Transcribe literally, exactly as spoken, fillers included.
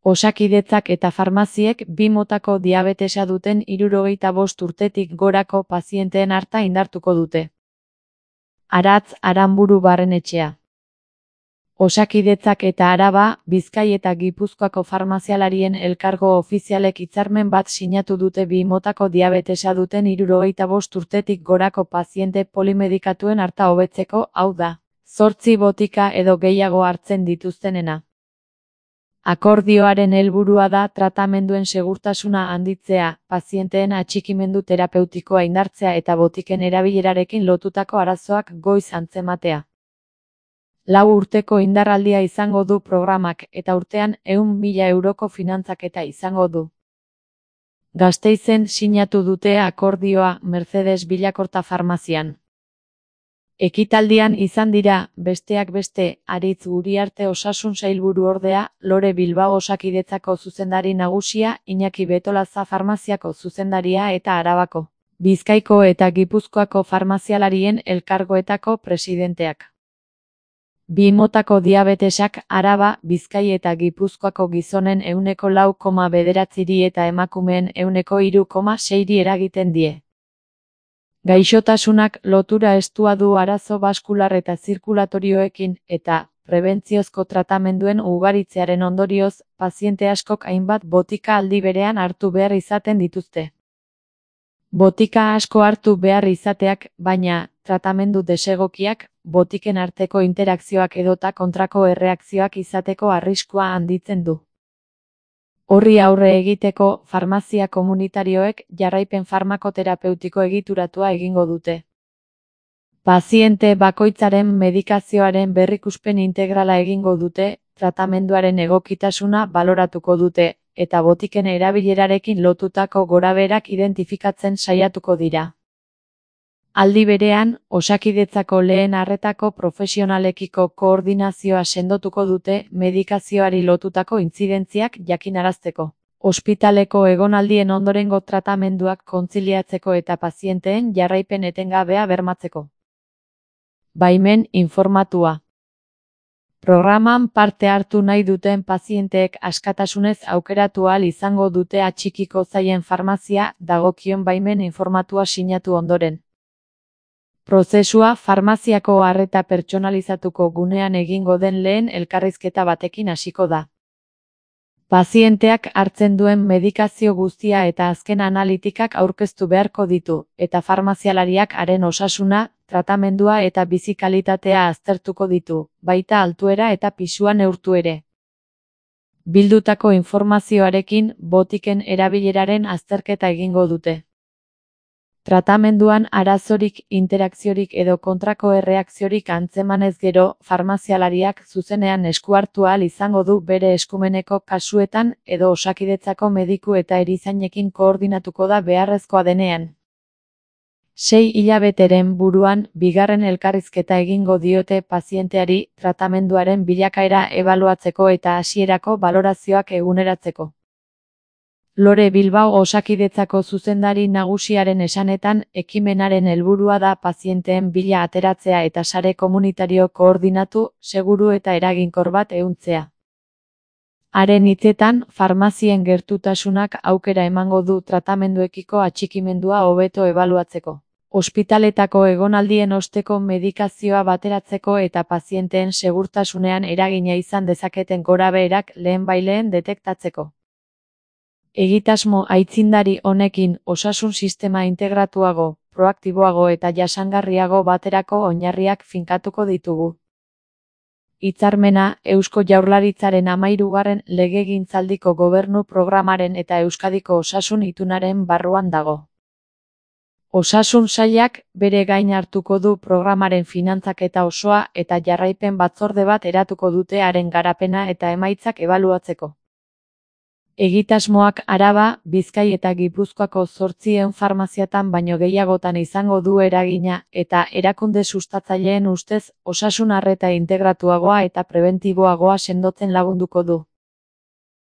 Osakidetzak eta farmaziek bi motako diabetesa duten hirurogeita bost urtetik gorako pazienteen arta indartuko dute. Aratz Aranburu Barrenetxea. Osakidetzak eta Araba, Bizkai eta Gipuzkoako farmazialarien elkargo ofizialek hitzarmen bat sinatu dute bi motako diabetesa duten hirurogeita bost urtetik gorako paziente polimedikatuen arta hobetzeko, hau da, zortzi botika edo gehiago hartzen dituztenena. Akordioaren helburua da tratamenduen segurtasuna handitzea, pazienteen atxikimendu terapeutikoa indartzea eta botiken erabilerarekin lotutako arazoak goiz antzematea. Lau urteko indarraldia izango du programak eta urtean ehun mila euroko finantzaketa izango du. Gasteizen sinatu dute akordioa Mercedes Bilakorta farmazian. Ekitaldian izan dira, besteak beste, Aritz Uriarte osasun sailburuordea, Lore Bilbao Osakidetzako zuzendari nagusia, Iñaki Betolaza farmaziako zuzendaria eta Arabako, Bizkaiko eta Gipuzkoako farmazialarien elkargoetako presidenteak. Bi motako diabetesak Araba, Bizkai eta Gipuzkoako gizonen ehuneko lau koma bederatziri eta emakumeen ehuneko hiru koma seiri eragiten die. Gaixotasunak lotura estua du arazo baskular eta zirkulatorioekin, eta, prebentziozko tratamenduen ugaritzearen ondorioz, paziente askok hainbat botika aldi berean hartu behar izaten dituzte. Botika asko hartu behar izateak, baina, tratamendu desegokiak, botiken arteko interakzioak edota kontrako erreakzioak izateko arriskua handitzen du. Horri aurre egiteko, farmazia komunitarioek jarraipen farmakoterapeutiko egituratua egingo dute. Paziente bakoitzaren medikazioaren berrikuspen integrala egingo dute, tratamenduaren egokitasuna baloratuko dute, eta botiken erabilerarekin lotutako gorabeherak identifikatzen saiatuko dira. Aldi berean, Osakidetzako lehen arretako profesionalekiko koordinazioa sendotuko dute medikazioari lotutako intzidentziak jakinarazteko, ospitaleko egonaldien ondorengo tratamenduak kontziliatzeko eta pazienteen jarraipen etengabea bermatzeko. Baimen informatua. Programan parte hartu nahi duten pazienteek askatasunez aukeratu ahal izango dute atxikiko zaien farmazia dagokion baimen informatua sinatu ondoren. Prozesua farmaziako arreta pertsonalizatuko gunean egingo den lehen elkarrizketa batekin hasiko da. Pazienteak hartzen duen medikazio guztia eta azken analitikak aurkeztu beharko ditu, eta farmazialariak haren osasuna, tratamendua eta bizi kalitatea aztertuko ditu, baita altuera eta pisua neurtu ere. Bildutako informazioarekin botiken erabileraren azterketa egingo dute. Tratamenduan arazorik, interakziorik edo kontrako erreakziorik antzemanez gero, farmazialariak zuzenean esku hartu ahal izango du bere eskumeneko kasuetan edo Osakidetzako mediku eta erizainekin koordinatuko da beharrezkoa denean. Sei hilabeteren buruan, bigarren elkarrizketa egingo diote pazienteari tratamenduaren bilakaera ebaluatzeko eta hasierako balorazioak eguneratzeko. Lore Bilbao Osakidetzako zuzendari nagusiaren esanetan, ekimenaren helburua da pazienteen bila ateratzea eta sare komunitario koordinatu, seguru eta eraginkor bat ehuntzea. Haren hitzetan, farmazien gertutasunak aukera emango du tratamenduekiko atxikimendua hobeto ebaluatzeko, ospitaletako egonaldien osteko medikazioa bateratzeko eta pazienteen segurtasunean eragina izan dezaketen gorabeherak lehenbailehen detektatzeko. Egitasmo aitzindari honekin osasun sistema integratuago, proaktiboago eta jasangarriago baterako oinarriak finkatuko ditugu. Hitzarmena, Eusko Jaurlaritzaren hamahirugarren legegintzaldiko gobernu programaren eta Euskadiko osasun itunaren barruan dago. Osasun sailak bere gain hartuko du programaren finantzaketa osoa eta jarraipen batzorde bat eratuko dute haren garapena eta emaitzak ebaluatzeko. Egitasmoak Araba, Bizkai eta Gipuzkoako zortziehun farmaziatan baino gehiagotan izango du eragina eta erakunde sustatzaileen ustez osasun arreta integratuagoa eta prebentiboagoa sendotzen lagunduko du.